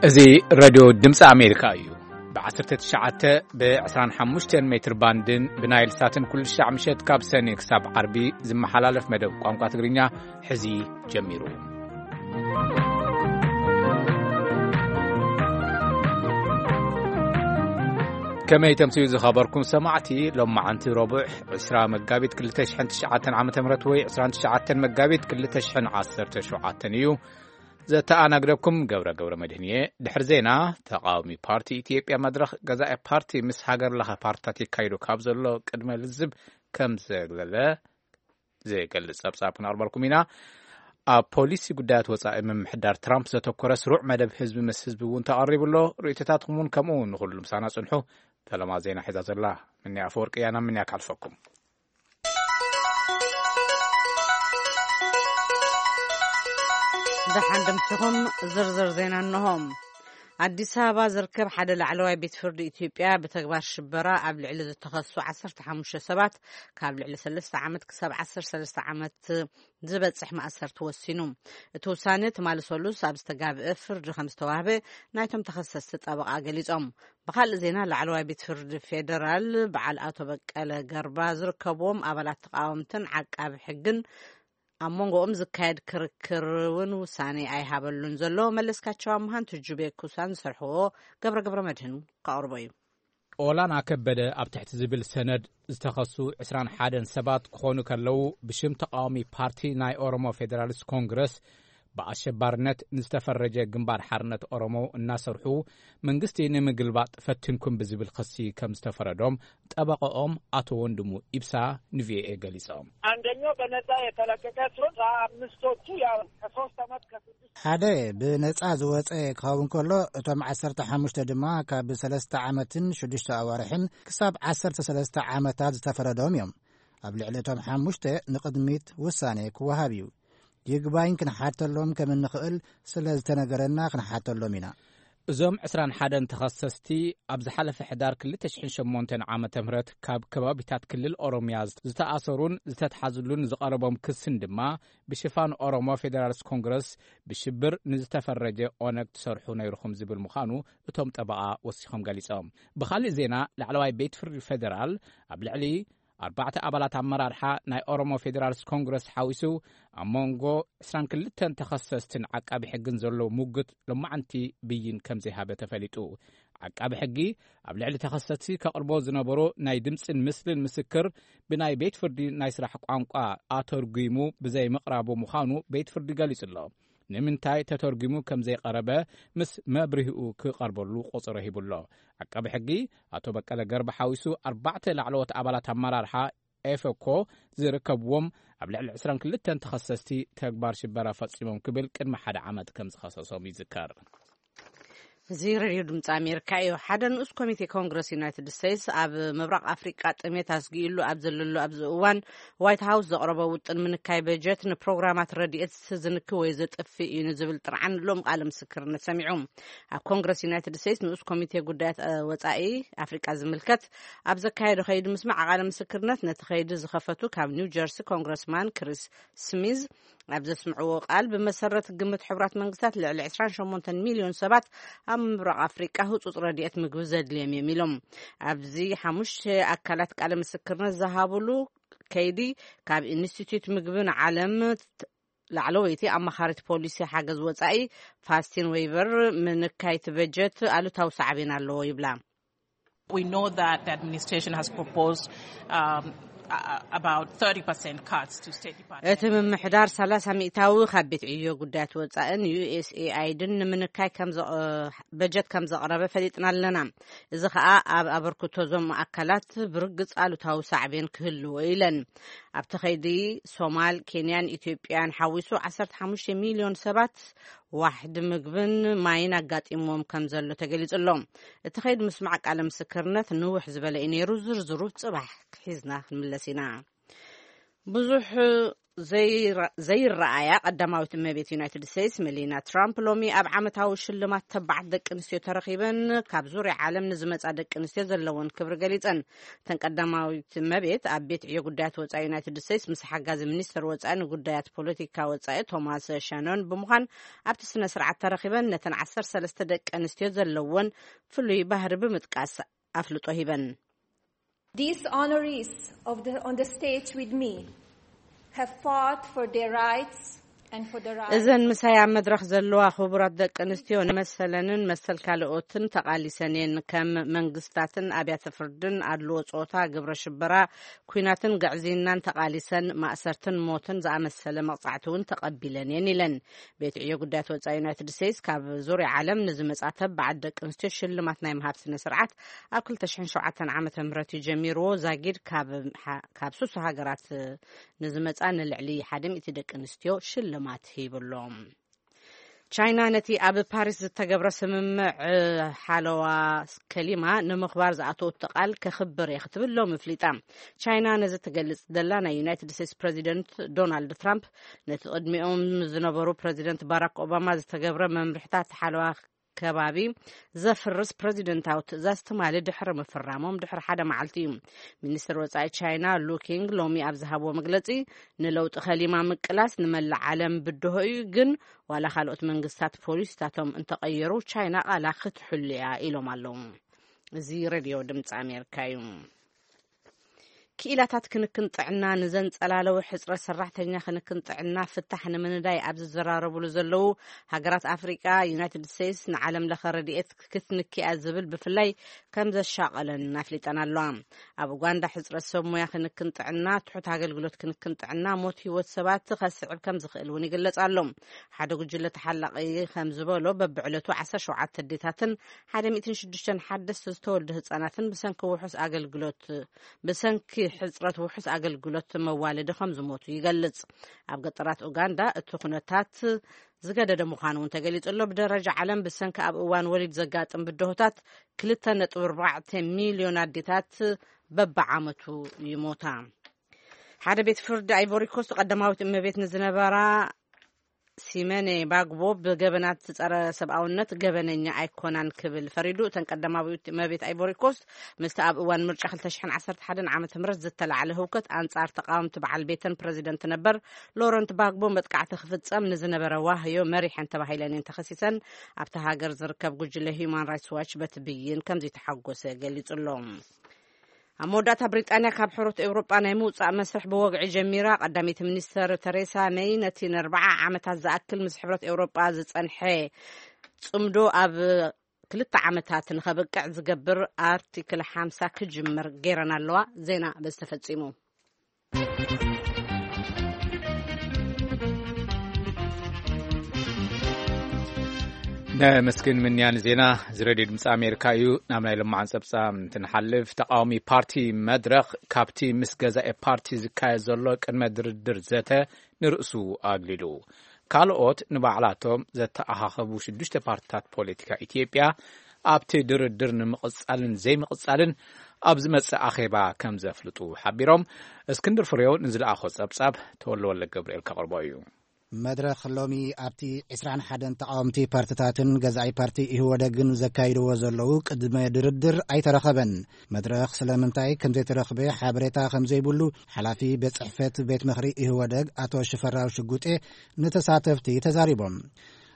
እዚ ሬድዮ ድምፂ ኣሜሪካ እዩ። ብ19፣ ብ25 ሜትር ባንድን ብናይል ሳትን ኩሉ ሻዕ ምሸት ካብ ሰኒ ክሳብ ዓርቢ ዝመሓላለፍ መደብ ቋንቋ ትግርኛ ሕዚ ጀሚሩ። ከመይ ተምስዩ ዝኸበርኩም ሰማዕቲ፣ ሎማዓንቲ ረቡዕ ዕስራ መጋቢት ክልተ ሽሕን ትሽዓተን ዓመተ ምህረት ወይ ዕስራን ትሽዓተን መጋቢት ክልተ ሽሕን ዓሰርተ ሸውዓተን እዩ። ዘተኣናግደኩም ገብረ ገብረ መድህን እየ። ድሕሪ ዜና፣ ተቃዋሚ ፓርቲ ኢትዮጵያ መድረኽ ገዛኢ ፓርቲ ምስ ሃገር ለኸ ፓርትታት የካይዶ ካብ ዘሎ ቅድመ ልዝብ ከም ዘግለለ ዝገልጽ ጸብጻብ ክነቕርበልኩም ኢና። ኣብ ፖሊሲ ጉዳያት ወጻኢ ምምሕዳር ትራምፕ ዘተኮረ ስሩዕ መደብ ህዝቢ ምስ ህዝቢ እውን ተቐሪቡ ኣሎ። ርእይቶታትኩም እውን ከምኡ እውን ንኹሉ ምሳና ጽንሑ። ፈለማ ዜና ሒዛ ዘላ ምንያ ኣፈወርቂ እያ። ናብ ምንያ ካልፈኩም። ደሓን ደምሲኹም ዝርዝር ዜና እንሆም። ኣዲስ ኣበባ ዝርከብ ሓደ ላዕለዋይ ቤት ፍርዲ ኢትዮጵያ ብተግባር ሽበራ ኣብ ልዕሊ ዝተኸሱ ዓሰርተ ሓሙሽተ ሰባት ካብ ልዕሊ ሰለስተ ዓመት ክሳብ ዓሰርተ ሰለስተ ዓመት ዝበጽሕ ማእሰርቲ ወሲኑ። እቲ ውሳነ ትማሊ ሰሉስ ኣብ ዝተጋብአ ፍርዲ ከም ዝተዋህበ ናይቶም ተኸሰስቲ ጠበቓ ገሊጾም። ብኻልእ ዜና፣ ላዕለዋይ ቤት ፍርዲ ፌደራል በዓል ኣቶ በቀለ ገርባ ዝርከብዎም ኣባላት ተቃወምትን ዓቃቢ ሕግን ኣብ መንጎኦም ዝካየድ ክርክር እውን ውሳኔ ኣይሃበሉን ዘሎ። መለስካቸው ኣምሃን ትጁቤ ኩሳን ዝሰርሕዎ ገብረ ገብረ መድህን ከቕርቦ እዩ። ኦላና ከበደ ኣብ ትሕቲ ዝብል ሰነድ ዝተኸሱ ዕስራን ሓደን ሰባት ክኾኑ ከለዉ፣ ብሽም ተቃዋሚ ፓርቲ ናይ ኦሮሞ ፌዴራሊስት ኮንግረስ ብኣሸባርነት ንዝተፈረጀ ግንባር ሓርነት ኦሮሞ እናሰርሑ መንግስቲ ንምግልባጥ ፈቲንኩም ብዝብል ክሲ ከም ዝተፈረዶም ጠበቃኦም ኣቶ ወንድሙ ኢብሳ ንቪኦኤ ገሊጾም። አንደኛው በነጻ የተለቀቀ ሲሆን፣ አምስቶቹ ያው ከሶስት ዓመት ከስድስት ሓደ ብነጻ ዝወጸ ክኸውን ከሎ፣ እቶም ዓሰርተ ሓሙሽተ ድማ ካብ ሰለስተ ዓመትን ሽዱሽተ ኣዋርሕን ክሳብ ዓሰርተ ሰለስተ ዓመታት ዝተፈረዶም እዮም። ኣብ ልዕሊ እቶም ሓሙሽተ ንቕድሚት ውሳኔ ክወሃብ እዩ። ይግባኝ ክንሓተሎም ከም እንኽእል ስለ ዝተነገረና ክንሓተሎም ኢና። እዞም ዕስራን ሓደን ተኸሰስቲ ኣብ ዝሓለፈ ሕዳር ክልተ ሽሕን ሸሞንተን ዓመተ ምህረት ካብ ከባቢታት ክልል ኦሮምያ ዝተኣሰሩን ዝተትሓዙሉን ዝቐረቦም ክስን ድማ ብሽፋን ኦሮሞ ፌዴራሊስት ኮንግረስ ብሽብር ንዝተፈረጀ ኦነግ ትሰርሑ ነይርኹም ዝብል ምዃኑ እቶም ጠበቓ ወሲኾም ገሊጾም። ብኻልእ ዜና፣ ላዕለዋይ ቤት ፍርዲ ፌዴራል ኣብ ልዕሊ ኣርባዕተ ኣባላት ኣመራርሓ ናይ ኦሮሞ ፌዴራሊስት ኮንግረስ ሓዊሱ ኣብ መንጎ ዕስራን ክልተን ተኸሰስትን ዓቃቢ ሕግን ዘሎ ሙግት ሎማዓንቲ ብይን ከም ዘይሃበ ተፈሊጡ። ዓቃቢ ሕጊ ኣብ ልዕሊ ተኸሰስቲ ከቕርቦ ዝነበሮ ናይ ድምፅን ምስልን ምስክር ብናይ ቤት ፍርዲ ናይ ስራሕ ቋንቋ ኣተርጒሙ ብዘይምቕራቡ ምዃኑ ቤት ፍርዲ ገሊጹ ኣሎ። ንምንታይ ተተርጒሙ ከም ዘይቐረበ ምስ መብርሂኡ ክቐርበሉ ቆጸሮ ሂቡ ኣሎ። ዓቃቢ ሕጊ ኣቶ በቀለ ገርባ ሓዊሱ ኣርባዕተ ላዕለዎት ኣባላት ኣመራርሓ ኤፈኮ ዝርከብዎም ኣብ ልዕሊ ዕስራን ክልተን ተኸሰስቲ ተግባር ሽበራ ፈጺሞም ክብል ቅድሚ ሓደ ዓመት ከም ዝኸሰሶም ይዝከር። እዚ ሬድዮ ድምፂ ኣሜሪካ እዩ። ሓደ ንኡስ ኮሚቴ ኮንግረስ ዩናይትድ ስቴትስ ኣብ ምብራቕ ኣፍሪቃ ጥሜት ኣስጊእሉ ኣብ ዘለሉ ኣብዚ እዋን፣ ዋይት ሃውስ ዘቕረቦ ውጥን ምንካይ በጀት ንፕሮግራማት ረድኤት ዝንኪ ወይ ዘጥፍእ እዩ ንዝብል ጥርዓን ሎም ቃለ ምስክርነት ሰሚዑ። ኣብ ኮንግረስ ዩናይትድ ስቴትስ ንኡስ ኮሚቴ ጉዳያት፣ እ፣ ወጻኢ ኣፍሪቃ ዝምልከት ኣብ ዘካየዶ ከይዲ ምስማዕ ቃለ ምስክርነት፣ ነቲ ከይዲ ዝኸፈቱ ካብ ኒው ጀርሲ ኮንግረስማን ክሪስ ስሚዝ ኣብ ዘስምዕዎ ቃል፣ ብመሰረት ግምት ሕቡራት መንግስታት ልዕሊ ዕስራን ሸሞንተን ሚልዮን ሰባት ኣብ ምብራቕ ኣፍሪቃ ህጹጽ ረድኤት ምግቢ ዘድልዮም እዮም ኢሎም። ኣብዚ ሓሙሽተ ኣካላት ቃለ ምስክርነት ዝሃብሉ ከይዲ፣ ካብ ኢንስቲትዩት ምግቢ ንዓለም ላዕለወይቲ ኣማኻሪት ፖሊሲ ሓገዝ ወጻኢ ፋስቲን ዌይበር፣ ምንካይ እቲ በጀት ኣሉታዊ ሳዕቤን ኣለዎ ይብላ። We know that the administration has proposed, um, a- a- about thirty percent cuts to State Department. እቲ ምምሕዳር ሰላሳ ሚእታዊ ካብ ቤት ዕዮ ጉዳያት ወጻእን ዩ ኤስ ኤ ኣይድን ንምንካይ ከም ዘ- በጀት ከም ዘቕረበ ፈሊጥና ኣለና። እዚ ኸኣ ኣብ ኣበርክቶ እዞም ኣካላት ብርግጽ ኣሉታዊ ሳዕቤን ክህልዎ ኢለን። ኣብቲ ኸይዲ ሶማል፣ ኬንያን ኢትዮጵያን ሓዊሱ ዓሰርተ ሓሙሽተ ሚልዮን ሰባት ዋሕዲ ምግብን ማይን ኣጋጢምዎም ከም ዘሎ ተገሊጹ ኣሎ። እቲ ኸይዲ ምስማዕ ቃለ ምስክርነት ንውሕ ዝበለ እዩ ነይሩ። ዝርዝሩ ጽባሕ ሒዝና ክንምለስ ኢና። ብዙሕ ዘይረ-፣ ዘይረኣያ ቀዳማዊት እመቤት ዩናይትድ ስቴትስ መሊና ትራምፕ ሎሚ ኣብ ዓመታዊ ሽልማት ተባዓት ደቂ ኣንስትዮ ተረኺበን ካብ ዙርያ ዓለም ንዝመጻ ደቂ ኣንስትዮ ዘለውን ክብሪ ገሊጸን። እተን ቀዳማዊት እመቤት ኣብ ቤት ዕዮ ጉዳያት ወጻኢ ዩናይትድ ስቴትስ ምስ ሓጋዚ ሚኒስትር ወጻኢ ንጉዳያት ፖለቲካ ወጻኢ ቶማስ ሸኖን ብምዃን ኣብቲ ስነ ስርዓት ተረኺበን ነተን ዓሰርተ ሰለስተ ደቂ ኣንስትዮ ዘለወን ፍሉይ ባህሪ ብምጥቃስ ኣፍልጦ ሂበን። These honorees of the, on the stage with me have fought for their rights and for the rights እዘን ምሳይ ኣብ መድረኽ ዘለዋ ክቡራት ደቂ ኣንስትዮ ንመሰለንን መሰል ካልኦትን ተቓሊሰን እየን። ከም መንግስታትን ኣብያተ ፍርድን ኣድልዎ ጾታ፣ ግብረ ሽበራ፣ ኲናትን ግዕዝይናን ተቓሊሰን ማእሰርትን ሞትን ዝኣመሰለ መቕጻዕቲ እውን ተቐቢለን እየን ኢለን። ቤት ዕዮ ጉዳያት ወጻኢ ዩናይትድ ስቴትስ ካብ ዙርያ ዓለም ንዝመጻ ተባዓት ደቂ ኣንስትዮ ሽልማት ናይ ምሃብ ስነ ስርዓት ኣብ ክልተ ሽሕን ሸውዓተን ዓመተ ምህረት እዩ ጀሚርዎ። ዛጊድ ካብ ሓ-፣ ካብ ሱሱ ሃገራት ንዝመጻ ንልዕሊ ሓደ ሚእቲ ደቂ ኣንስትዮ ሽልማት ሂብሎም። ቻይና ነቲ ኣብ ፓሪስ ዝተገብረ ስምምዕ ሓለዋ ከሊማ ንምኽባር ዝኣተወቶ ቃል ከኽብር እየ ክትብል ሎሚ ኣፍሊጣ። ቻይና ነዚ ትገልጽ ዘላ ናይ ዩናይትድ ስቴትስ ፕረዚደንት ዶናልድ ትራምፕ ነቲ ቅድሚኦም ዝነበሩ ፕረዚደንት ባራክ ኦባማ ዝተገብረ መምርሕታት ሓለዋ ከባቢ ዘፍርስ ፕረዚደንታዊ ትእዛዝ ትማሊ ድሕሪ ምፍራሞም ድሕሪ ሓደ መዓልቲ እዩ። ሚኒስትር ወጻኢ ቻይና ሉ ኪንግ ሎሚ ኣብ ዝሃብዎ መግለጺ፣ ንለውጢ ከሊማ ምቅላስ ንመላእ ዓለም ብድሆ እዩ፣ ግን ዋላ ካልኦት መንግስታት ፖሊሲታቶም እንተቐየሩ ቻይና ቃላ ክትሕሉ እያ ኢሎም ኣለዉ። እዚ ሬድዮ ድምፂ ኣሜሪካ እዩ። ክኢላታት ክንክን ጥዕና ንዘንጸላለወ ሕጽረት ሰራሕተኛ ክንክን ጥዕና ፍታሕ ንምንዳይ ኣብ ዝዘራረቡሉ ዘለዉ ሃገራት ኣፍሪቃ፣ ዩናይትድ ስቴትስ ንዓለም ለኸ ረድኤት ክትንኪ እያ ዝብል ብፍላይ ከም ዘሻቐለን ኣፍሊጠን ኣለዋ። ኣብ ኡጋንዳ ሕጽረት ሰብ ሞያ ክንክን ጥዕና፣ ትሑት ኣገልግሎት ክንክን ጥዕና፣ ሞት ህይወት ሰባት ከስዕብ ከም ዝኽእል እውን ይግለጽ ኣሎ። ሓደ ጉጅለ ተሓላቒ ከም ዝበሎ በብዕለቱ ዓሰርተ ሸውዓተ ኣዴታትን ሓደ ሚእትን ሽዱሽተን ሓደስቲ ዝተወልዱ ህጻናትን ብሰንኪ ውሑስ ኣገልግሎት ብሰንኪ ሕጽረት ውሑስ ኣገልግሎት መዋለዲ ከም ዝሞቱ ይገልጽ። ኣብ ገጠራት ኡጋንዳ እቲ ኩነታት ዝገደደ ምዃኑ እውን ተገሊጹ ኣሎ። ብደረጃ ዓለም ብሰንኪ ኣብ እዋን ወሊድ ዘጋጥም ብድሆታት ክልተ ነጥቢ ኣርባዕተ ሚልዮን ኣዴታት በብዓመቱ ይሞታ። ሓደ ቤት ፍርዲ ኣይቮሪ ኮስት ቀዳማዊት እመቤት ንዝነበራ ሲመኔ ባግቦ ብገበናት ጸረ ሰብኣውነት ገበነኛ ኣይኮናን ክብል ፈሪዱ። እተን ቀዳማዊት እመቤት ኣይቮሪ ኮስት ምስቲ ኣብ እዋን ምርጫ ክልተ ሽሕን ዓሰርተ ሓደን ዓመተ ምህረት ዝተላዕለ ህውከት ኣንጻር ተቃወምቲ በዓል ቤተን ፕረዚደንት ነበር ሎረንት ባግቦ መጥቃዕቲ ክፍጸም ንዝነበረ ዋህዮ መሪሐን ተባሂለን እየን ተኸሲሰን። ኣብቲ ሃገር ዝርከብ ጉጅለ ሂዩማን ራይትስ ዋች በቲ ብይን ከም ዘይተሓጎሰ ገሊጹ ኣሎ። ኣብ መወዳእታ ብሪጣንያ ካብ ሕብረት ኤውሮጳ ናይ ምውጻእ መስርሕ ብወግዒ ጀሚራ። ቀዳመይቲ ሚኒስተር ተሬሳ መይ ነቲ ንኣርብዓ ዓመታት ዝኣክል ምስ ሕብረት ኤውሮጳ ዝጸንሐ ጽምዶ ኣብ ክልተ ዓመታት ንኸብቅዕ ዝገብር ኣርቲክል ሓምሳ ክጅምር ገይረን ኣለዋ። ዜና በዚ ተፈጺሙ። ነመስግን ምንያን ዜና እዚ ሬድዮ ድምፂ ኣሜሪካ እዩ። ናብ ናይ ልማዓን ፀብፃብ እንትንሓልፍ፣ ተቃዋሚ ፓርቲ መድረኽ ካብቲ ምስ ገዛኢ ፓርቲ ዝካየድ ዘሎ ቅድመ ድርድር ዘተ ንርእሱ ኣግሊሉ። ካልኦት ንባዕላቶም ዘተኣኻኸቡ ሽዱሽተ ፓርትታት ፖለቲካ ኢትዮጵያ ኣብቲ ድርድር ንምቕጻልን ዘይምቕጻልን ኣብ ዝመጽእ ኣኼባ ከም ዘፍልጡ ሓቢሮም። እስክንድር ፍሬው ንዝለኣኾ ጸብጻብ ተወልደ ወልደ ገብርኤል ከቕርቦ እዩ። መድረኽ ሎሚ ኣብቲ ዕስራን ሓደን ተቓወምቲ ፓርትታትን ገዛኢ ፓርቲ ኢህወደግን ዘካይድዎ ዘለዉ ቅድመ ድርድር ኣይተረኸበን። መድረኽ ስለምንታይ ከም ዘይተረኽበ ሓበሬታ ከም ዘይብሉ ሓላፊ ቤት ጽሕፈት ቤት ምኽሪ ኢህወደግ ኣቶ ሽፈራው ሽጉጤ ንተሳተፍቲ ተዛሪቦም።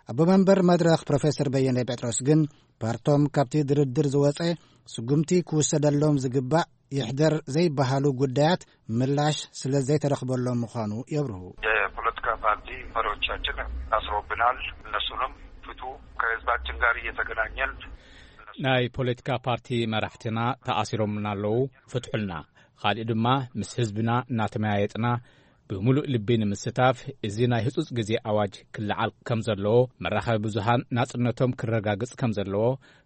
ኣቦ መንበር መድረኽ ፕሮፌሰር በየነ ጴጥሮስ ግን ፓርቶም ካብቲ ድርድር ዝወጸ ስጉምቲ ክውሰደሎም ዝግባእ ይሕደር ዘይበሃሉ ጉዳያት ምላሽ ስለ ዘይተረኽበሎም ምዃኑ የብርሁ። የፖለቲካ ፓርቲ መሪዎቻችን ታስሮብናል። እነሱንም ፍቱ፣ ከህዝባችን ጋር እየተገናኘን ናይ ፖለቲካ ፓርቲ መራሕትና ተኣሲሮምና ኣለዉ፣ ፍትሑልና። ካልእ ድማ ምስ ህዝብና እናተመያየጥና ብምሉእ ልቢ ንምስታፍ፣ እዚ ናይ ህጹጽ ግዜ ኣዋጅ ክለዓል ከም ዘለዎ፣ መራኸቢ ብዙሃን ናጽነቶም ክረጋግጽ ከም ዘለዎ፣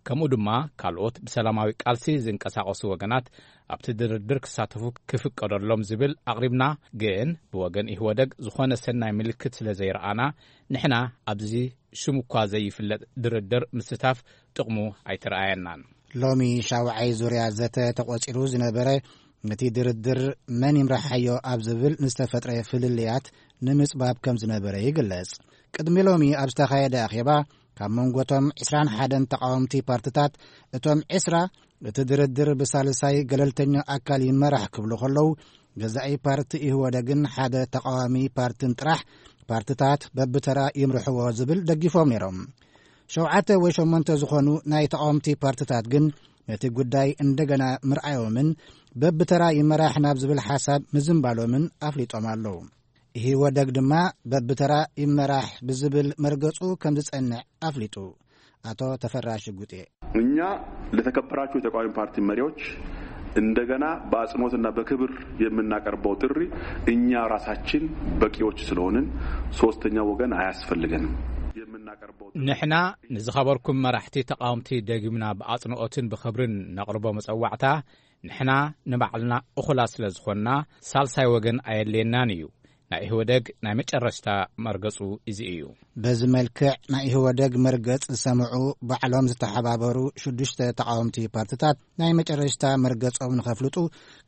ከምኡ ድማ ካልኦት ብሰላማዊ ቃልሲ ዝንቀሳቐሱ ወገናት ኣብቲ ድርድር ክሳተፉ ክፍቀደሎም ዝብል ኣቕሪብና። ግን ብወገን ኢህወደግ ዝኾነ ሰናይ ምልክት ስለ ዘይረኣና፣ ንሕና ኣብዚ ሽሙ እኳ ዘይፍለጥ ድርድር ምስታፍ ጥቕሙ ኣይተረኣየናን። ሎሚ ሻውዓይ ዙርያ ዘተ ተቖጺሩ ዝነበረ፣ ነቲ ድርድር መን ይምርሓዮ ኣብ ዝብል ንዝተፈጥረ ፍልልያት ንምጽባብ ከም ዝነበረ ይግለጽ። ቅድሚ ሎሚ ኣብ ዝተኻየደ ኣኼባ፣ ካብ መንጎቶም ዕስራን ሓደን ተቓወምቲ ፓርትታት፣ እቶም ዕስራ፣ እቲ ድርድር ብሳልሳይ ገለልተኛ ኣካል ይመራሕ ክብሉ ከለዉ፣ ገዛኢ ፓርቲ ኢህወደግን ሓደ ተቓዋሚ ፓርትን ጥራሕ ፓርትታት በብተራ ይምርሕዎ ዝብል ደጊፎም ነይሮም። ሸውዓተ ወይ ሸሞንተ ዝኾኑ ናይ ተቓወምቲ ፓርትታት ግን ነቲ ጉዳይ እንደገና ምርኣዮምን በብተራ ይመራሕ ናብ ዝብል ሓሳብ ምዝንባሎምን ኣፍሊጦም ኣለዉ። ኢህወደግ ድማ በብተራ ይመራሕ ብዝብል መርገጹ ከም ዝጸንዕ ኣፍሊጡ። ኣቶ ተፈራ ሽጉጤ። እኛ ለተከበራችሁ የተቃዋሚ ፓርቲ መሪዎች እንደገና በአጽንኦትና በክብር የምናቀርበው ጥሪ፣ እኛ ራሳችን በቂዎች ስለሆንን ሶስተኛ ወገን አያስፈልገንም። የምናቀርበው ጥሪ ንሕና ንዝኸበርኩም መራሕቲ ተቓወምቲ ደጊምና ብኣጽንኦትን ብኽብርን ነቕርቦ መጸዋዕታ፣ ንሕና ንባዕልና እኹላት ስለ ዝኾንና፣ ሳልሳይ ወገን ኣየድልየናን እዩ። ናይ ኢህወደግ ናይ መጨረሽታ መርገጹ እዚ እዩ። በዚ መልክዕ ናይ ኢህወደግ መርገጽ ዝሰምዑ ባዕሎም ዝተሓባበሩ ሽዱሽተ ተቓወምቲ ፓርትታት ናይ መጨረሽታ መርገጾም ንኸፍልጡ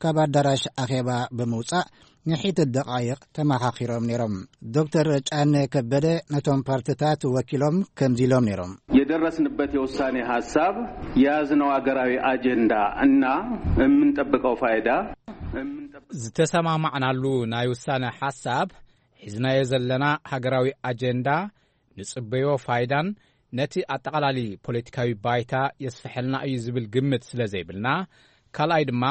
ካብ ኣዳራሽ ኣኼባ ብምውጻእ ንሒት ደቓይቕ ተመኻኺሮም ነይሮም። ዶክተር ጫነ ከበደ ነቶም ፓርትታት ወኪሎም ከምዚ ኢሎም ነይሮም። የደረስንበት የውሳኔ ሐሳብ፣ የያዝነው አገራዊ አጀንዳ እና የምንጠብቀው ፋይዳ፣ የምንጠብቀው ዝተሰማማዕናሉ ናይ ውሳነ ሓሳብ፣ ሒዝናዮ ዘለና ሃገራዊ ኣጀንዳ፣ ንጽበዮ ፋይዳን ነቲ ኣጠቓላሊ ፖለቲካዊ ባይታ የስፍሐልና እዩ ዝብል ግምት ስለ ዘይብልና፣ ካልኣይ ድማ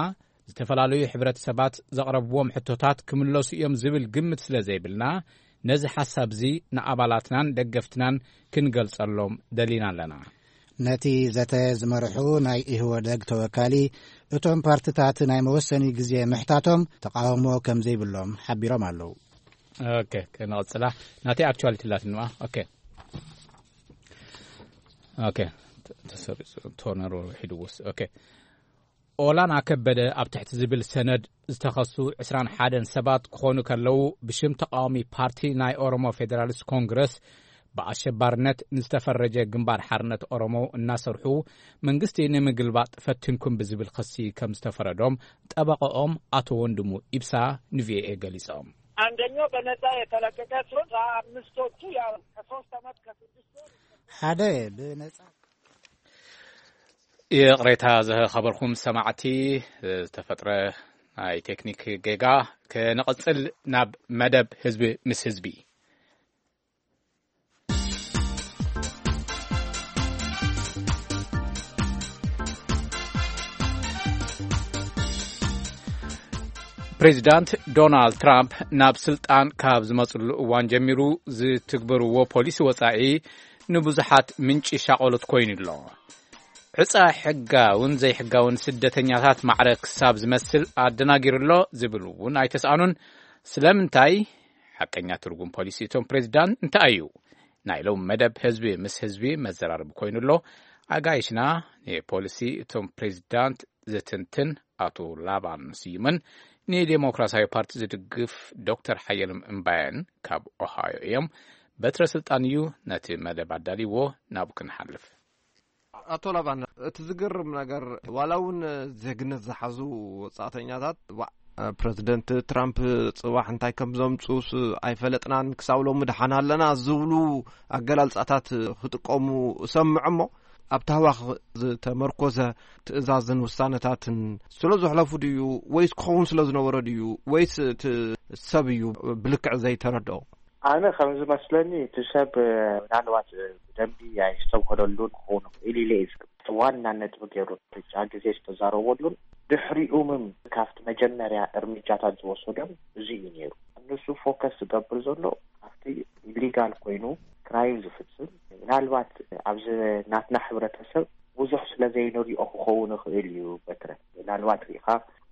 ዝተፈላለዩ ሕብረተሰባት ዘቕረብዎም ሕቶታት ክምለሱ እዮም ዝብል ግምት ስለ ዘይብልና፣ ነዚ ሓሳብ እዚ ንኣባላትናን ደገፍትናን ክንገልጸሎም ደሊና ኣለና። ነቲ ዘተ ዝመርሑ ናይ ኢህወደግ ተወካሊ፣ እቶም ፓርትታት ናይ መወሰኒ ግዜ ምሕታቶም ተቃውሞ ከም ዘይብሎም ሓቢሮም ኣለዉ። ኦኬ፣ ክንቕጽላ። ናተይ ኣክቹዋሊቲ ኣላትንዋ። ኦኬ። ኦኬ። ተ-፣ ተሰሪጹ፣ ቶነሩ ሒድዎስ። ኦኬ። ኦላና ከበደ ኣብ ትሕቲ ዝብል ሰነድ ዝተኸሱ ዕስራን ሓደን ሰባት ክኾኑ ከለዉ፣ ብሽም ተቃዋሚ ፓርቲ ናይ ኦሮሞ ፌደራሊስት ኮንግረስ ብኣሸባርነት ንዝተፈረጀ ግንባር ሓርነት ኦሮሞ እናሰርሑ መንግስቲ ንምግልባጥ ፈቲንኩም ብዝብል ክሲ ከም ዝተፈረዶም ጠበቃኦም ኣቶ ወንድሙ ኢብሳ ንቪኦኤ ገሊጾም። አንደኛው በነጻ የተለቀቀ ሲሆን፣ አምስቶቹ ያው ከሶስት ዓመት ከስድስት ወር ሓደ ብነጻ ይቕሬታ ዝኸበርኩም ሰማዕቲ፣ ዝተፈጥረ ናይ ቴክኒክ ጌጋ። ክንቕጽል ናብ መደብ ህዝቢ ምስ ህዝቢ። ፕሬዚዳንት ዶናልድ ትራምፕ ናብ ስልጣን ካብ ዝመጽሉ እዋን ጀሚሩ ዝትግበርዎ ፖሊሲ ወጻኢ ንብዙሓት ምንጪ ሻቐሎት ኮይኑ ኣሎ። ዕጻ ሕጋውን ዘይሕጋውን ስደተኛታት ማዕረ ክሳብ ዝመስል ኣደናጊሩ ኣሎ ዝብል እውን ኣይተስኣኑን። ስለምንታይ? ሓቀኛ ትርጉም ፖሊሲ እቶም ፕሬዚዳንት እንታይ እዩ? ናይ ሎም መደብ ህዝቢ ምስ ህዝቢ መዘራረቢ ኮይኑ ኣሎ። ኣጋይሽና ንፖሊሲ እቶም ፕሬዚዳንት ዝትንትን ኣቶ ላባን ስዩምን ንዴሞክራሲያዊ ፓርቲ ዝድግፍ ዶክተር ሓየሎም እምባየን ካብ ኦሃዮ እዮም። በትረ ስልጣን እዩ ነቲ መደብ ኣዳልይዎ፣ ናብኡ ክንሓልፍ። ኣቶ ላባን፣ እቲ ዝገርም ነገር፣ ዋላ እውን ዜግነት ዝሓዙ ወጻእተኛታት፣ ዋዕ፣ ፕረዚደንት ትራምፕ ጽባሕ እንታይ ከም ዘምጽኡስ ኣይፈለጥናን፣ ክሳብ ሎሚ ደሓን ኣለና ዝብሉ ኣገላልጻታት ክጥቀሙ እሰምዕ እሞ፣ ኣብ ታህዋኽ ዝተመርኮዘ ትእዛዝን ውሳነታትን ስለ ዘሕለፉ ድዩ፣ ወይስ ክኸውን ስለ ዝነበሮ ድዩ፣ ወይስ እቲ ሰብ እዩ ብልክዕ ዘይተረድኦ? ኣነ ከም ዝመስለኒ፣ እቲ ሰብ ምናልባት ብደንቢ ኣይስተብህለሉን ክኸውን ይኽእል ኢለ እየ ዝግምት። ዋና ነጥቢ ገይሩ ብጫ ግዜ ዝተዛረበሉን ድሕሪኡምም ካብቲ መጀመርያ እርምጃታት ዝወሰዶም እዚ እዩ ነይሩ። ንሱ ፎከስ ዝገብር ዘሎ ኣብቲ ኢሊጋል ኮይኑ ክራይም ዝፍጽም፣ ምናልባት ኣብዚ ናትና ሕብረተሰብ ብዙሕ ስለ ዘይንሪኦ ክኸውን ይኽእል እዩ። በትረ፣ ምናልባት ሪኢኻ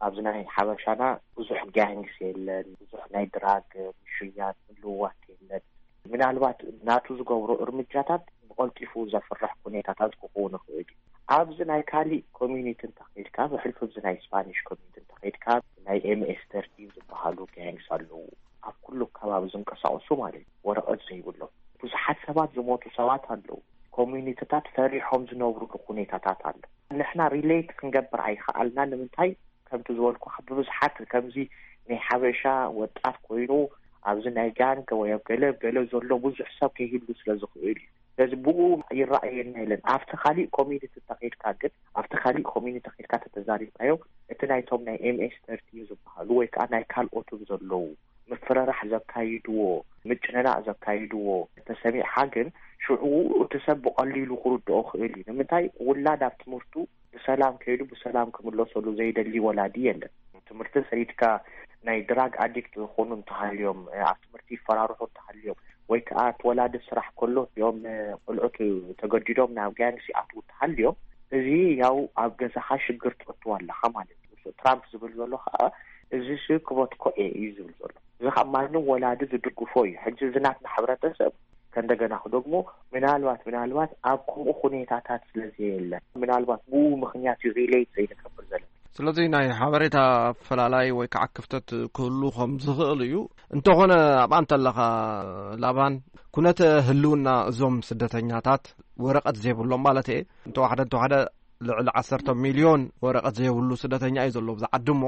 ኣብዚ ናይ ሓበሻና ብዙሕ ጋንግስ የለን፣ ብዙሕ ናይ ድራግ ምሽያጥ ምልውዋት የለን። ምናልባት ናቱ ዝገብሮ እርምጃታት ብቐልጢፉ ዘፍርሕ ኩነታታት ክኸውን ይኽእል እዩ። ኣብዚ ናይ ካሊእ ኮሚኒቲ እንተኸይድካ፣ ብሕልፊ ኣብዚ ናይ ስፓኒሽ ኮሚኒቲ እንተኸይድካ፣ ናይ ኤምኤስ ተርቲን ዝበሃሉ ጋንግስ ኣለዉ። ኣብ ኩሉ ከባቢ ዝንቀሳቐሱ ማለት እዩ፣ ወረቐት ዘይብሎም። ብዙሓት ሰባት ዝሞቱ ሰባት ኣለዉ። ኮሚኒቲታት ፈሪሖም ዝነብሩሉ ኩነታታት ኣሎ። ንሕና ሪሌት ክንገብር ኣይከኣልና። ንምንታይ? ከምቲ ዝበልኩኻ፣ ብብዝሓት ከምዚ ናይ ሓበሻ ወጣት ኮይኑ ኣብዚ ናይ ጋንግ ወይ ኣብ ገለ ገለ ዘሎ ብዙሕ ሰብ ከይህሉ ስለ ዝኽእል እዩ። ስለዚ ብኡ ይረኣየና የለን። ኣብቲ ካሊእ ኮሚኒቲ ተኸይድካ ግን፣ ኣብቲ ካሊእ ኮሚኒቲ ተኸይድካ ተተዛሪብካዮ፣ እቲ ናይቶም ናይ ኤምኤስ ተርቲ ዝበሃሉ ወይ ከዓ ናይ ካልኦትም ዘለዉ ምፍርራሕ ዘካይድዎ፣ ምጭንናቕ ዘካይድዎ ተሰሚዕካ ግን፣ ሽዑ እቲ ሰብ ብቐሊሉ ክርድኦ ክእል እዩ። ንምንታይ? ውላድ ኣብ ትምህርቱ ብሰላም ከይዱ ብሰላም ክምለሰሉ ዘይደሊ ወላዲ የለን። ትምህርቲ ሰይድካ ናይ ድራግ ኣዲክት ዝኾኑ እንተሃልዮም፣ ኣብ ትምህርቲ ይፈራርሑ እንተሃልዮም፣ ወይ ከዓ እቲ ወላዲ ስራሕ ከሎ እዚኦም ቆልዑት ተገዲዶም ናብ ጋንግስ ይኣትዉ እንተሃልዮም፣ እዚ ያው ኣብ ገዛኻ ሽግር ትእትዎ ኣለኻ ማለት እዩ። ትራምፕ ዝብል ዘሎ ከዓ እዚ ሲ ክበትኮ እየ እዩ ዝብል ዘሎ። እዚ ከዓ ማንም ወላዲ ዝድግፎ እዩ። ሕጂ እዚ ናትና ሕብረተሰብ ከእንደገና ክደግሞ ምናልባት ምናልባት ኣብ ከምኡ ኩኔታታት ስለ ዘየለ ምናልባት ብኡ ምኽንያት እዩ ሪሌት ዘይንገብር ዘለና። ስለዚ ናይ ሓበሬታ ኣፈላላይ ወይ ከዓ ክፍተት ክህሉ ከም ዝኽእል እዩ። እንተኾነ ኣብኣ እንተለኻ ላባን፣ ኩነተ ህልውና እዞም ስደተኛታት ወረቐት ዘይብሎም ማለት እየ እንተዋሕደ እንተዋሕደ ልዕሊ ዓሰርተ ሚልዮን ወረቐት ዘይብሉ ስደተኛ እዩ ዘሎ ኣብዚ ዓዲ እሞ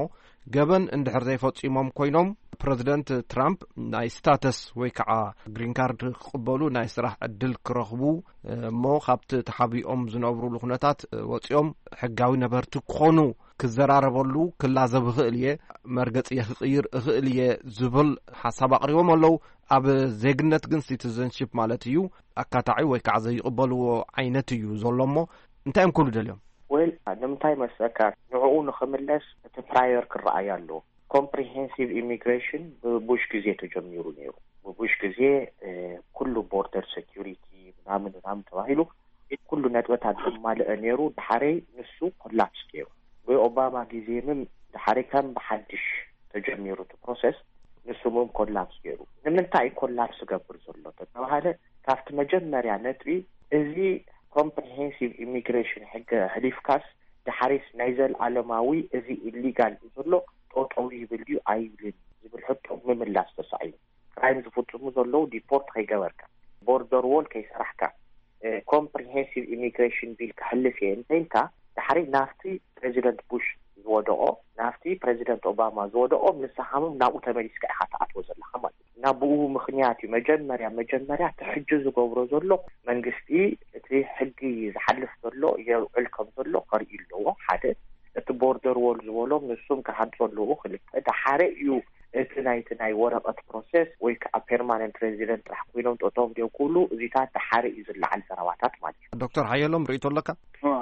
ገበን እንድሕር ዘይፈጺሞም ኮይኖም ፕረዚደንት ትራምፕ ናይ ስታተስ ወይ ከዓ ግሪን ካርድ ክቕበሉ ናይ ስራሕ ዕድል ክረኽቡ እሞ ካብቲ ተሓቢኦም ዝነብሩሉ ኩነታት ወፂኦም ሕጋዊ ነበርቲ ክኾኑ ክዘራረበሉ ክላዘብ እኽእል እየ፣ መርገፂ ክቕይር እኽእል እየ ዝብል ሓሳብ ኣቕሪቦም ኣለዉ። ኣብ ዜግነት ግን ሲቲዘንሺፕ ማለት እዩ ኣካታዒ ወይ ከዓ ዘይቕበልዎ ዓይነት እዩ ዘሎ እሞ እንታይ እዮም ክብሉ ደልዮም? ወል ንምንታይ መስለካ ንዕኡ ንኽምለስ እቲ ፕራየር ክረኣይ ኣለዎ። ኮምፕሪሄንሲቭ ኢሚግሬሽን ብቡሽ ግዜ ተጀሚሩ ነይሩ። ብቡሽ ግዜ ኩሉ ቦርደር ሴኪሪቲ ምናምን ምናምን ተባሂሉ ኩሉ ነጥበታት ዘማልአ ነይሩ። ድሓረይ ንሱ ኮላፕስ ገይሩ። ብኦባማ ግዜ ምን ድሓረይ ከም ብሓድሽ ተጀሚሩ እቲ ፕሮሰስ፣ ንሱ ምን ኮላፕስ ገይሩ። ንምንታይ ኮላፕስ ገብር ዘሎ ተተባሃለ ካብቲ መጀመርያ ነጥቢ እዚ ኮምፕሪሄንሲቭ ኢሚግሬሽን ሕገ ሕሊፍካስ ድሓሪስ ናይ ዘልኣለማዊ እዚ ኢሊጋል እዩ ዘሎ ጠጠው ይብል እዩ ኣይብልን ዝብል ሕቶ ምምላስ ተሳኢኑ። ክራይም ዝፍፅሙ ዘለዉ ዲፖርት ከይገበርካ፣ ቦርደር ዎል ከይሰራሕካ፣ ኮምፕሪሄንሲቭ ኢሚግሬሽን ቢል ክሕልፍ እየ እንተኢልካ ድሓሪ ናብቲ ፕሬዚደንት ቡሽ ዝወደቆ ናብቲ ፕሬዚደንት ኦባማ ዝወደቆ ንስኻምም ናብኡ ተመሊስካ ኢኻ ትኣትዎ ዘለኻ ማለት እዩ። እና ብኡ ምኽንያት እዩ መጀመርያ መጀመርያ እቲ ሕጂ ዝገብሮ ዘሎ መንግስቲ እቲ ሕጊ ዝሓልፍ ዘሎ የውዕል ከም ዘሎ ከርኢ ኣለዎ። ሓደ እቲ ቦርደር ዎል ዝበሎም ንሱም ክሃንፁ ኣለዎ። ክልተ ድሓረ እዩ እቲ ናይቲ ናይ ወረቐት ፕሮሰስ ወይ ከዓ ፐርማነንት ሬዚደንት ጥራሕ ኮይኖም ጠጠው እንዲዮ ክብሉ እዚታት ድሓረ እዩ ዝለዓል ዘረባታት ማለት እዩ። ዶክተር ሓየሎም ርእይቶ ኣለካ?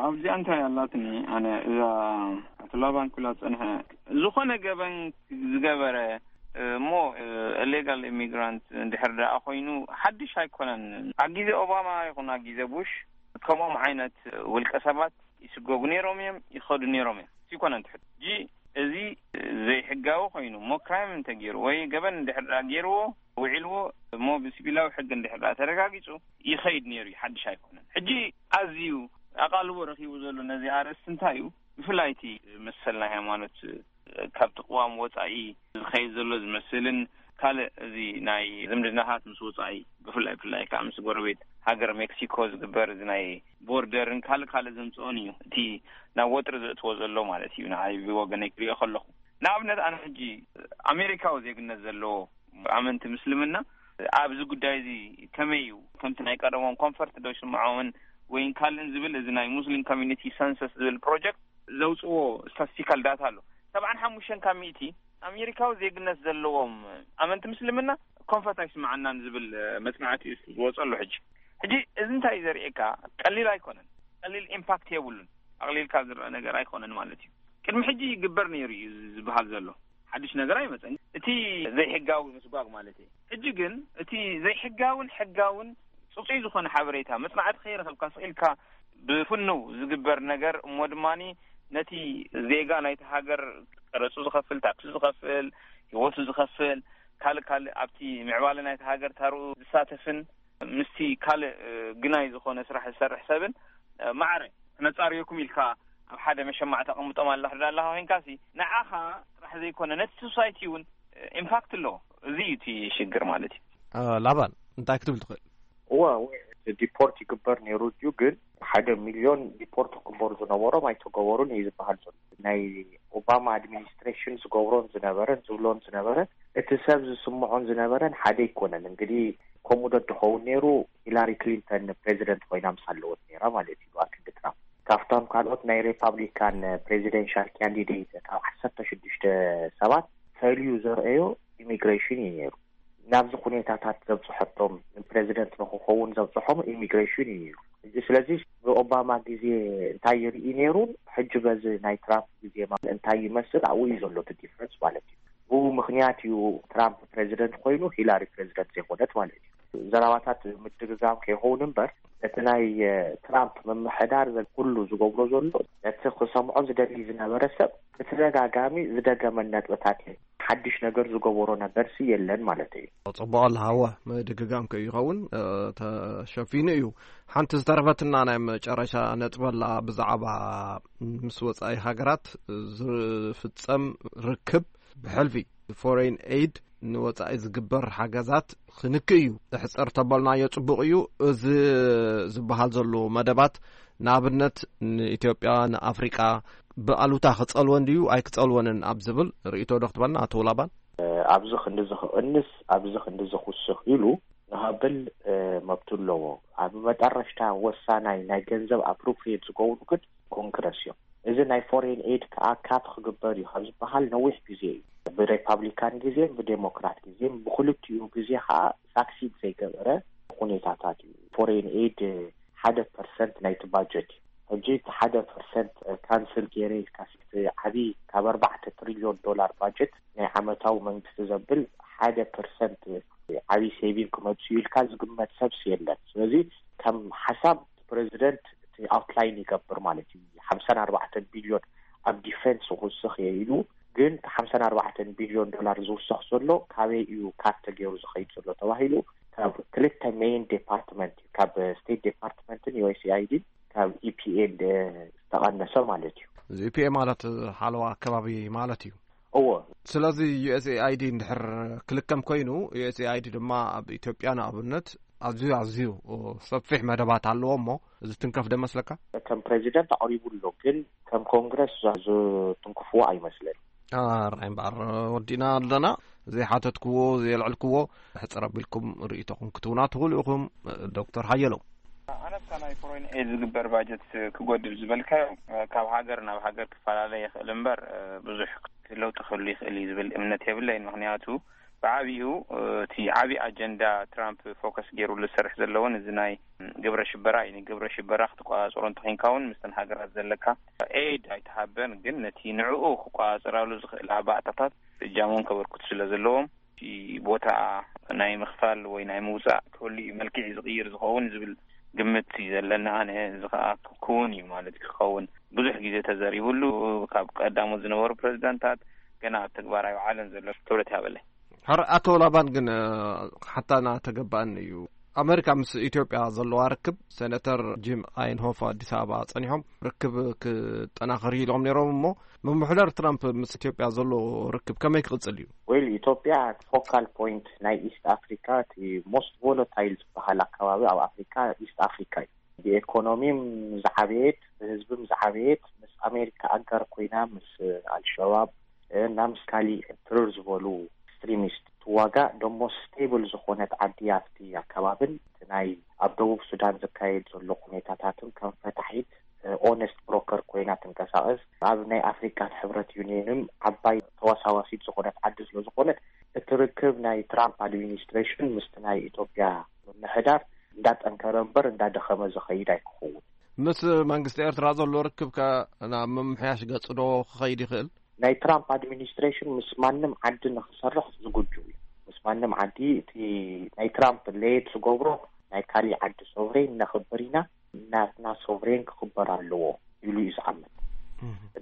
ኣብዚኣ እንታይ ኣላትኒ ኣነ እዛ ኣቶ ላባን ክብላ ዝፀንሐ ዝኾነ ገበን ዝገበረ እሞ ኢሌጋል ኢሚግራንት እንድሕር ደኣ ኮይኑ ሓድሽ ኣይኮነን። ኣብ ግዜ ኦባማ ይኹን ኣብ ግዜ ቡሽ ከምኦም ዓይነት ውልቀ ሰባት ይስጎጉ ነይሮም እዮም፣ ይኸዱ ነይሮም እዮም። ይኮነ እንተ ሕጂ እዚ ዘይሕጋዊ ኮይኑ እሞ ክራይም እንተገይሩ ወይ ገበን እንድሕር ደኣ ገይርዎ ውዒልዎ እሞ ብሲቪላዊ ሕጊ እንድሕር ደኣ ተረጋጊጹ ይኸይድ ነይሩ እዩ፣ ሓድሽ ኣይኮነን። ሕጂ ኣዝዩ ኣቓልቦ ረኺቡ ዘሎ ነዚ ኣርእስቲ እንታይ እዩ? ብፍላይ እቲ መሰል ናይ ሃይማኖት ካብቲ ቅዋም ወጻኢ ዝኸይድ ዘሎ ዝመስልን ካልእ እዚ ናይ ዝምድናታት ምስ ወጻኢ ብፍላይ ብፍላይ ከዓ ምስ ጎረቤት ሃገር ሜክሲኮ ዝግበር እዚ ናይ ቦርደርን ካልእ ካልእ ዘምጽኦን እዩ እቲ ናብ ወጥሪ ዘእትዎ ዘሎ ማለት እዩ። ንዓይ ብወገነይ ክሪኦ ከለኹ ንኣብነት ኣነ ሕጂ ኣሜሪካዊ ዜግነት ዘለዎ ኣመንቲ ምስልምና ኣብዚ ጉዳይ እዚ ከመይ እዩ ከምቲ ናይ ቀደሞም ኮንፈርት ዶ ይስምዖምን ወይን ካልእን ዝብል እዚ ናይ ሙስሊም ኮሚኒቲ ሰንሰስ ዝብል ፕሮጀክት ዘውፅዎ ስታስቲካል ዳታ ኣሎ። ሰብዓን ሓሙሽተን ካብ ሚእቲ ኣሜሪካዊ ዜግነት ዘለዎም ኣመንቲ ምስልምና ኮንፈርት ኣይስምዓናን ዝብል መፅናዕቲ እዩ ዝወፀሉ። ሕጂ ሕጂ እዚ እንታይ እዩ ዘርእየካ? ቀሊል ኣይኮነን። ቀሊል ኢምፓክት የብሉን። ኣቕሊልካ ዝረአ ነገር ኣይኮነን ማለት እዩ። ቅድሚ ሕጂ ይግበር ነይሩ እዩ ዝበሃል ዘሎ ሓድሽ ነገር ኣይመፀን። እቲ ዘይሕጋዊ ምስጓግ ማለት እዩ። ሕጂ ግን እቲ ዘይሕጋውን ሕጋውን ፅፁይ ዝኾነ ሓበሬታ መፅናዕቲ ከይረኸብካ ስኢልካ ብፍንው ዝግበር ነገር እሞ ድማ ነቲ ዜጋ ናይቲ ሃገር ቀረፁ ዝኸፍል፣ ታክሲ ዝኸፍል፣ ህይወቱ ዝኸፍል፣ ካልእ ካልእ ኣብቲ ምዕባለ ናይቲ ሃገር ታርኡ ዝሳተፍን ምስቲ ካልእ ግናይ ዝኾነ ስራሕ ዝሰርሕ ሰብን ማዕረ ክነፃርየኩም ኢልካ ኣብ ሓደ መሸማዕ ተቐምጦም ኣላ ክዳ ኣለኻ ኮይንካሲ ንዓኻ ጥራሕ ዘይኮነ ነቲ ሶሳይቲ እውን ኢምፓክት ኣለዎ። እዚ እዩ እቲ ሽግር ማለት እዩ። ላባን እንታይ ክትብል ትኽእል? እወ፣ እወ፣ ዲፖርት ይግበር ነይሩ እዩ፣ ግን ሓደ ሚልዮን ዲፖርት ክግበሩ ዝነበሮም ኣይተገበሩን እዩ ዝበሃል ዘሎ። ናይ ኦባማ ኣድሚኒስትሬሽን ዝገብሮን ዝነበረን ዝብሎን ዝነበረ እቲ ሰብ ዝስምዖን ዝነበረን ሓደ ኣይኮነን። እንግዲህ ከምኡ ዶ ትኸውን ነይሩ? ሂላሪ ክሊንተን ፕሬዚደንት ኮይና ምስ ኣለወት ነይራ ማለት እዩ፣ ኣብ ክንዲ ትራምፕ። ካብቶም ካልኦት ናይ ሪፓብሊካን ፕሬዚደንሻል ካንዲዴት ካብ ዓሰርተ ሽዱሽተ ሰባት ፈልዩ ዘርአዮ ኢሚግሬሽን እዩ ነይሩ። ናብዚ ኩነታታት ዘብፅሐቶም፣ ፕሬዚደንት ንክኸውን ዘብፅሖም ኢሚግሬሽን እዩ ነይሩ። ሕጂ ስለዚ ብኦባማ ግዜ እንታይ ይርኢ ነይሩን ሕጂ በዚ ናይ ትራምፕ ግዜ ማለት እንታይ ይመስል ኣብኡ እዩ ዘሎ እቲ ዲፍረንስ ማለት እዩ። ብኡ ምክንያት እዩ ትራምፕ ፕሬዚደንት ኮይኑ ሂላሪ ፕሬዚደንት ዘይኮነት ማለት እዩ። ዘረባታት ምድግጋም ከይኸውን እምበር እቲ ናይ ትራምፕ ምምሕዳር ኩሉ ዝገብሮ ዘሎ ነቲ ክሰምዖ ዝደሊ ዝነበረ ሰብ ብተደጋጋሚ ዝደገመን ነጥብታት እዩ። ሓድሽ ነገር ዝገበሮ ነገርሲ የለን ማለት እዩ። ጽቡቕ ኣለሃወ ምድግጋም ከይኸውን ተሸፊኑ እዩ። ሓንቲ ዝተረፈትና ናይ መጨረሻ ነጥበላ ብዛዕባ ምስ ወጻኢ ሃገራት ዝፍጸም ርክብ ብሕልፊ ፎሬን ኤድ ንወጻኢ ዝግበር ሓገዛት ክንክ እዩ። ሕጸር ተበልናዮ ጽቡቕ እዩ። እዚ ዝበሃል ዘሎ መደባት ንኣብነት ንኢትዮጵያ፣ ንኣፍሪቃ ብኣሉታ ክጸልወን ድዩ ኣይክጸልወንን ኣብ ዝብል ርእይቶ ዶ ክትበልና ኣቶ ውላባን? ኣብዚ ክንዲ እዚ ክቕንስ፣ ኣብዚ ክንዲ እዚ ክውስኽ ኢሉ ንኸብል መብቱ ኣለዎ። ኣብ መጠረሽታ ወሳናይ ናይ ገንዘብ ኣፕሮፕሪየት ዝገብሩ ግን ኮንግረስ እዮም። እዚ ናይ ፎሬን ኤድ ከዓ ካት ክግበር እዩ ካብ ዝበሃል ነዊሕ ግዜ እዩ። ብሬፓብሊካን ግዜን ብዴሞክራት ግዜን ብክልቲኡ ግዜ ከዓ ሳክሲድ ዘይገበረ ኩኔታታት እዩ። ፎሬን ኤድ ሓደ ፐርሰንት ናይቲ ባጀት እዩ። ሕጂ እቲ ሓደ ፐርሰንት ካንስል ገይረ ኢልካ እቲ ዓብዪ ካብ ኣርባዕተ ትሪልዮን ዶላር ባጀት ናይ ዓመታዊ መንግስቲ ዘብል ሓደ ፐርሰንት ዓብዪ ሴቪንግ ክመፅኡ ኢልካ ዝግመት ሰብስ የለን። ስለዚ ከም ሓሳብ ፕሬዚደንት እቲ ኣውትላይን ይገብር ማለት እዩ። ሓምሳን ኣርባዕተን ቢልዮን ኣብ ዲፌንስ ክውስኽ እየ ኢሉ፣ ግን እቲ ሓምሳን ኣርባዕተን ቢልዮን ዶላር ዝውሰኽ ዘሎ ካበይ እዩ ካት ተገይሩ ዝኸይድ ዘሎ ተባሂሉ ካብ ክልተ ሜይን ዴፓርትመንት እዩ፣ ካብ ስቴት ዴፓርትመንትን ዩ ኤስ ኤ ኣይ ዲ ካብ ኢፒኤን ዝተቐነሰ ማለት እዩ። እዚ ኢፒኤ ማለት ሓለዋ ኣከባቢ ማለት እዩ። እዎ። ስለዚ ዩ ኤስ ኤ ኣይ ዲ እንድሕር ክልከም ኮይኑ፣ ዩ ኤስ ኤ ኣይ ዲ ድማ ኣብ ኢትዮጵያ ንኣብነት ኣዝዩ ኣዝዩ ሰፊሕ መደባት ኣለዎ እሞ እዚ ትንከፍ ዶ መስለካ? ከም ፕሬዚደንት ኣቕሪቡ ኣሎ፣ ግን ከም ኮንግረስ ዝትንክፍዎ ኣይመስለን። ኣራይ እምበኣር ወዲና ኣለና። ዘይሓተትክዎ ዘየልዕልክዎ ሕፅር ኣቢልኩም ርእይቶኹም ክትውና ትኽእሉ ኢኹም። ዶክተር ሓየሎም። ኣነስ ናይ ፎሬን ኤድ ዝግበር ባጀት ክጎድል ዝበልካዮ ካብ ሃገር ናብ ሃገር ክፈላለ ይኽእል እምበር ብዙሕ ለውጢ ክህሉ ይኽእል እዩ ዝብል እምነት የብለይን። ምክንያቱ ብዓቢኡ እቲ ዓቢ ኣጀንዳ ትራምፕ ፎከስ ገይሩሉ ዝሰርሕ ዘለዎን እዚ ናይ ግብረ ሽበራ እዩ። ንግብረ ሽበራ ክትቆጻጸሮ እንተኾይንካ እውን ምስተን ሃገራት ዘለካ ኤድ ኣይተሃበን፣ ግን ነቲ ንዕኡ ክቆጻጸራሉ ዝኽእል ኣባእታታት እጃሞም ከበርክቱ ስለ ዘለዎም እቲ ቦታ ናይ ምኽፋል ወይ ናይ ምውጻእ ክህሉ እዩ፣ መልክዕ ዝቕይር ዝኸውን ዝብል ግምት እዩ ዘለኒ። ኣነ እዚ ኸኣ ክውን እዩ ማለት ክኸውን ብዙሕ ግዜ ተዘሪብሉ፣ ካብ ቀዳሞት ዝነበሩ ፕሬዚዳንታት ገና ኣብ ተግባር ኣይወዓለን ዘሎ ክብረት ይሃበለይ። ሕር ኣቶ ላባን ግን ሓታና ተገባእኒ እዩ። ኣመሪካ ምስ ኢትዮጵያ ዘለዋ ርክብ፣ ሴኔተር ጂም ኣይንሆፍ ኣዲስ ኣበባ ጸኒሖም ርክብ ክጠናኸር ኢሎም ነይሮም እሞ፣ ምምሕዳር ትራምፕ ምስ ኢትዮጵያ ዘሎ ርክብ ከመይ ክቕጽል እዩ? ዌል፣ ኢትዮጵያ ፎካል ፖይንት ናይ ኢስት ኣፍሪካ፣ እቲ ሞስት ቮለታይል ዝበሃል ኣካባቢ ኣብ ኣፍሪካ ኢስት ኣፍሪካ እዩ። ብኤኮኖሚም ዝዓበየት፣ ብህዝብም ዝዓበየት፣ ምስ ኣሜሪካ ኣጋር ኮይና ምስ ኣልሸባብ እና ምስ ካሊእ ትርር ዝበሉ ኤክስትሪሚስት ትዋጋእ ደሞ ስቴብል ዝኾነት ዓዲ ኣብቲ ኣካባብን እቲ ናይ ኣብ ደቡብ ሱዳን ዝካየድ ዘሎ ኩኔታታትን ከም ፈታሒት ኦነስት ብሮከር ኮይና ትንቀሳቐስ። ኣብ ናይ ኣፍሪካ ሕብረት ዩኒየንም ዓባይ ተዋሳዋሲት ዝኾነት ዓዲ ስለ ዝኾነት እቲ ርክብ ናይ ትራምፕ ኣድሚኒስትሬሽን ምስቲ ናይ ኢትዮጵያ ምምሕዳር እንዳጠንከረ እምበር እንዳደኸመ ዝኸይድ ኣይክኸውን። ምስ መንግስቲ ኤርትራ ዘሎ ርክብ ከ ናብ ምምሕያሽ ገጽ ዶ ክኸይድ ይኽእል? ናይ ትራምፕ ኣድሚኒስትሬሽን ምስ ማንም ዓዲ ንክሰርሕ ዝጉጁ እዩ። ምስ ማንም ዓዲ እቲ ናይ ትራምፕ ሌየት ዝገብሮ ናይ ካሊእ ዓዲ ሶቨሬን ነኽብር ኢና፣ ናትና ሶቨሬን ክኽበር ኣለዎ ኢሉ እዩ ዝኣምን።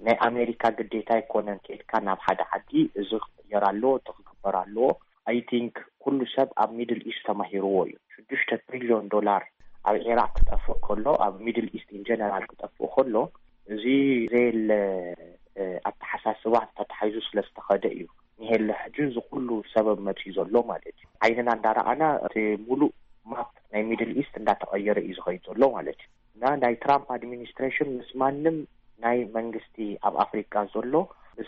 ናይ ኣሜሪካ ግዴታ ኣይኮነን ከይድካ ናብ ሓደ ዓዲ እዚ ክቕየር ኣለዎ፣ እቲ ክግበር ኣለዎ። ኣይ ቲንክ ኩሉ ሰብ ኣብ ሚድል ኢስት ተማሂርዎ እዩ። ሽዱሽተ ትሪልዮን ዶላር ኣብ ዒራቅ ክጠፍእ ከሎ፣ ኣብ ሚድል ኢስት ኢን ጀነራል ክጠፍእ ከሎ፣ እዚ ዘየለ ኣተሓሳስባ ተታሒዙ ስለ ዝተኸደ እዩ። ንሄለ ሕጂ እዚ ኩሉ ሰበብ መፅዩ ዘሎ ማለት እዩ። ዓይንና እንዳረኣና እቲ ሙሉእ ማፕ ናይ ሚድል ኢስት እንዳተቐየረ እዩ ዝኸይድ ዘሎ ማለት እዩ። እና ናይ ትራምፕ ኣድሚኒስትሬሽን ምስ ማንም ናይ መንግስቲ ኣብ ኣፍሪካ ዘሎ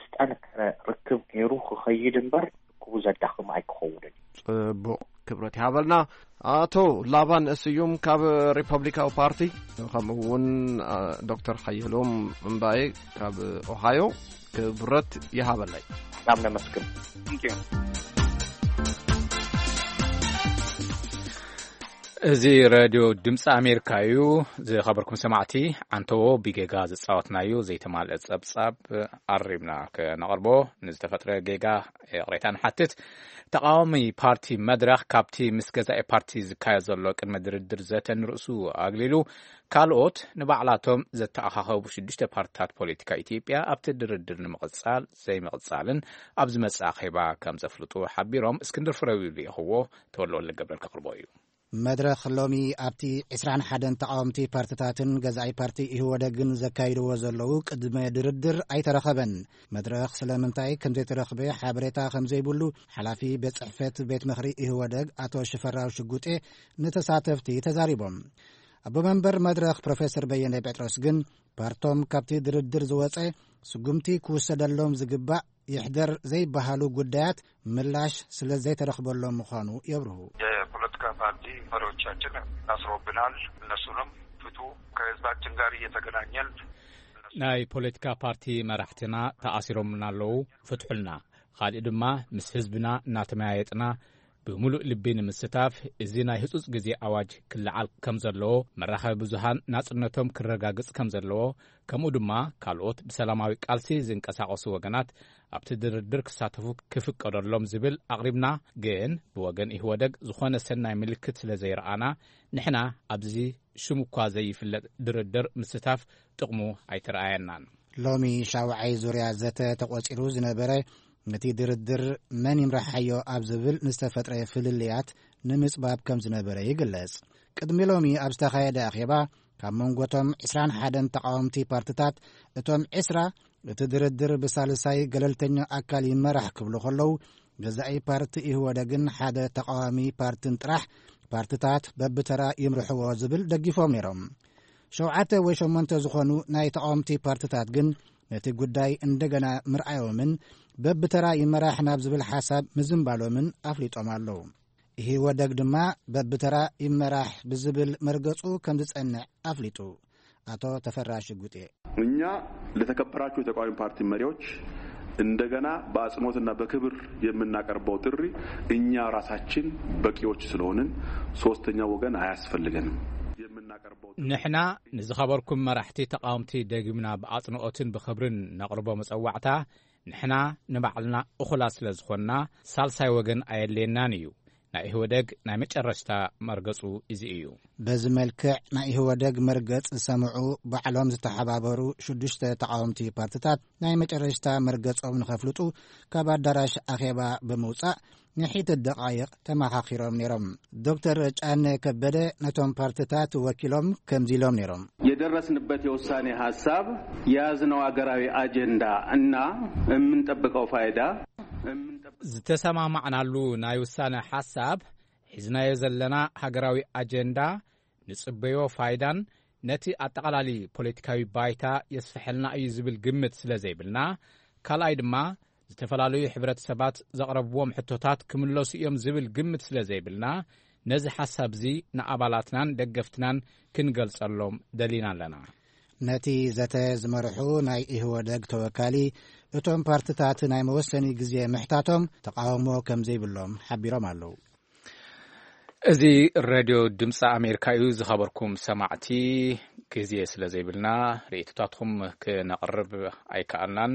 ዝጠንከረ ርክብ ገይሩ ክኸይድ እምበር ክረክቡ ዘዳኽም ኣይክኸውንን እዩ። ጽቡቕ፣ ክብረት ይሃበልና። ኣቶ ላባን ስዩም ካብ ሪፐብሊካዊ ፓርቲ፣ ከምኡ እውን፣ አ፣ ዶክተር ሓየሎም እምባዬ ካብ ኦሃዮ፣ ክብረት ይሃበለይ። በጣም ነመስግን። Thank you። እዚ ሬድዮ ድምፂ ኣሜሪካ እዩ። ዝኸበርኩም ሰማዕቲ፣ ዓንተዎ ብጌጋ ዝፃወትናዮ ዘይተማልአ ፀብፃብ ኣሪምና ከነቕርቦ፣ ንዝተፈጥረ ጌጋ ይቕሬታ ንሓትት። ተቓዋሚ ፓርቲ መድረኽ ካብቲ ምስ ገዛኢ ፓርቲ ዝካየድ ዘሎ ቅድመ ድርድር ዘተ ንርእሱ ኣግሊሉ፣ ካልኦት ንባዕላቶም ዘተኣኻኸቡ ሽዱሽተ ፓርትታት ፖለቲካ ኢትዮጵያ ኣብቲ ድርድር ንምቕጻል ዘይምቕጻልን ኣብ ዝመጽእ ኣኼባ ከም ዘፍልጡ ሓቢሮም። እስክንድር ፍሬው ልኢኽዎ፣ ተወልደ ወልደገብርኤል ከቕርቦ እዩ። መድረኽ ሎሚ ኣብቲ ዕስራን ሓደን ተቓወምቲ ፓርትታትን ገዛኢ ፓርቲ ኢህወደግን ዘካይድዎ ዘለዉ ቅድመ ድርድር ኣይተረኸበን። መድረኽ ስለምንታይ ከም ዘይተረኽበ ሓበሬታ ከም ዘይብሉ ሓላፊ ቤት ጽሕፈት ቤት ምኽሪ ኢህወደግ ኣቶ ሽፈራው ሽጉጤ ንተሳተፍቲ ተዛሪቦም። ኣቦ መንበር መድረኽ ፕሮፌሰር በየነ ጴጥሮስ ግን ፓርቶም ካብቲ ድርድር ዝወጸ ስጉምቲ ክውሰደሎም ዝግባእ ይሕደር ዘይበሃሉ ጉዳያት ምላሽ ስለ ዘይተረኽበሎም ምዃኑ የብርሁ። የፖለቲካ ፓርቲ መሪዎቻችን ታስሮብናል፣ እነሱንም ፍቱ። ከህዝባችን ጋር እየተገናኘን ናይ ፖለቲካ ፓርቲ መራሕትና ተኣሲሮምና ኣለዉ፣ ፍትሑልና። ካልእ ድማ ምስ ህዝብና እናተመያየጥና ብምሉእ ልቢ ንምስታፍ፣ እዚ ናይ ህጹጽ ግዜ ኣዋጅ ክለዓል ከም ዘለዎ፣ መራኸቢ ብዙሃን ናጽነቶም ክረጋግጽ ከም ዘለዎ፣ ከምኡ ድማ ካልኦት ብሰላማዊ ቃልሲ ዝንቀሳቐሱ ወገናት ኣብቲ ድርድር ክሳተፉ ክፍቀደሎም ዝብል ኣቕሪብና። ግን ብወገን ኢህወደግ ዝኾነ ሰናይ ምልክት ስለ ዘይረኣና፣ ንሕና ኣብዚ ሽሙ እኳ ዘይፍለጥ ድርድር ምስታፍ ጥቕሙ ኣይተረኣየናን። ሎሚ ሻውዓይ ዙርያ ዘተ ተቖጺሩ ዝነበረ፣ ነቲ ድርድር መን ይምርሓዮ ኣብ ዝብል ንዝተፈጥረ ፍልልያት ንምጽባብ ከም ዝነበረ ይግለጽ። ቅድሚ ሎሚ ኣብ ዝተኻየደ ኣኼባ፣ ካብ መንጎቶም ዕስራን ሓደን ተቓወምቲ ፓርትታት፣ እቶም ዕስራ እቲ ድርድር ብሳልሳይ ገለልተኛ ኣካል ይመራሕ ክብሉ ከለዉ፣ ገዛኢ ፓርቲ ኢህወደግን ሓደ ተቓዋሚ ፓርትን ጥራሕ ፓርትታት በብተራ ይምርሕዎ ዝብል ደጊፎም ነይሮም። ሸውዓተ ወይ ሸሞንተ ዝኾኑ ናይ ተቓወምቲ ፓርትታት ግን ነቲ ጉዳይ እንደገና ምርኣዮምን በብተራ ይመራሕ ናብ ዝብል ሓሳብ ምዝንባሎምን ኣፍሊጦም ኣለዉ። ኢህወደግ ድማ በብተራ ይመራሕ ብዝብል መርገጹ ከም ዝጸንዕ ኣፍሊጡ። ኣቶ ተፈራ ሽጉጤ። እኛ ለተከበራችሁ የተቃዋሚ ፓርቲ መሪዎች እንደገና በአጽንኦትና በክብር የምናቀርበው ጥሪ፣ እኛ ራሳችን በቂዎች ስለሆንን ሶስተኛ ወገን አያስፈልገንም። የምናቀርበው ጥሪ ንሕና ንዝኸበርኩም መራሕቲ ተቃወምቲ ደጊምና ብኣጽንኦትን ብኽብርን ነቕርቦ መጸዋዕታ፣ ንሕና ንባዕልና እኹላት ስለ ዝኾንና፣ ሳልሳይ ወገን ኣየድልየናን እዩ። ናይ ኢህወደግ ናይ መጨረሽታ መርገጹ እዚ እዩ። በዚ መልክዕ ናይ ኢህወደግ መርገጽ ዝሰምዑ ባዕሎም ዝተሓባበሩ ሽዱሽተ ተቓወምቲ ፓርትታት ናይ መጨረሽታ መርገጾም ንኸፍልጡ ካብ ኣዳራሽ ኣኼባ ብምውጻእ ንሒደት ደቓይቕ ተመኻኺሮም ነይሮም። ዶክተር ጫነ ከበደ ነቶም ፓርትታት ወኪሎም ከምዚ ኢሎም ነይሮም። የደረስንበት የውሳኔ ሐሳብ፣ የያዝነው አገራዊ አጀንዳ እና የምንጠብቀው ፋይዳ፣ የምንጠብቀው ዝተሰማማዕናሉ ናይ ውሳነ ሓሳብ፣ ሒዝናዮ ዘለና ሃገራዊ ኣጀንዳ፣ ንጽበዮ ፋይዳን ነቲ ኣጠቓላሊ ፖለቲካዊ ባይታ የስፍሐልና እዩ ዝብል ግምት ስለ ዘይብልና፣ ካልኣይ ድማ ዝተፈላለዩ ሕብረተሰባት ዘቕረብዎም ሕቶታት ክምለሱ እዮም ዝብል ግምት ስለ ዘይብልና፣ ነዚ ሓሳብ እዚ ንኣባላትናን ደገፍትናን ክንገልጸሎም ደሊና ኣለና። ነቲ ዘተ ዝመርሑ ናይ ኢህወደግ ተወካሊ፣ እቶም ፓርትታት ናይ መወሰኒ ግዜ ምሕታቶም ተቃውሞ ከም ዘይብሎም ሓቢሮም ኣለዉ። እዚ ሬድዮ ድምፂ ኣሜሪካ እዩ። ዝኸበርኩም ሰማዕቲ፣ ግዜ ስለ ዘይብልና ርእይቶታትኩም ክነቕርብ ኣይከኣልናን።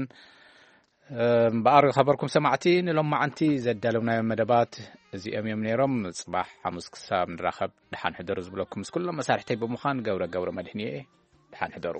እምበኣር፣ ዝኸበርኩም ሰማዕቲ፣ ንሎማዓንቲ ዘዳለውናዮም መደባት እዚኦም እዮም ነይሮም። ጽባሕ ሓሙስ ክሳብ ንራኸብ፣ ደሓን ሕደሩ ዝብለኩም ምስ ኩሎም መሳርሕተይ ብምዃን ገብረ ገብረ መድህን እየ። ደሓን ሕደሩ።